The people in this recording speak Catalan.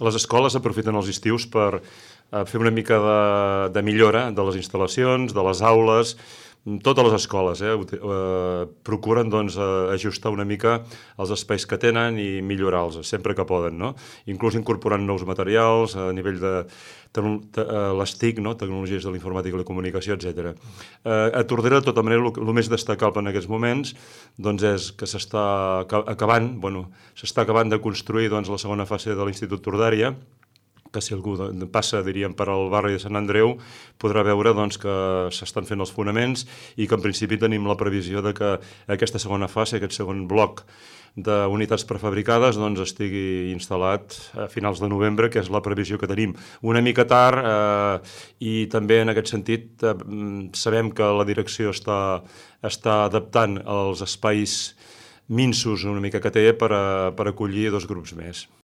les escoles aprofiten els estius per fer una mica de millora de les instal·lacions, de les aules. Totes les escoles procuren doncs, ajustar una mica els espais que tenen i millorar-los sempre que poden, no? Inclús incorporant nous materials a nivell de les TIC, no? Tecnologies de la informàtica i la comunicació, etc. A Tordera, de tota manera, el més destacable en aquests moments doncs, és que s'està acabant de construir doncs, la segona fase de l'Institut Tordària, que si algú passa, diríem, per al barri de Sant Andreu, podrà veure doncs, que s'estan fent els fonaments i que en principi tenim la previsió de que aquesta segona fase, aquest segon bloc d'unitats prefabricades doncs, estigui instal·lat a finals de novembre, que és la previsió que tenim. Una mica tard i també en aquest sentit sabem que la direcció està adaptant els espais minsos una mica que té per acollir 2 grups més.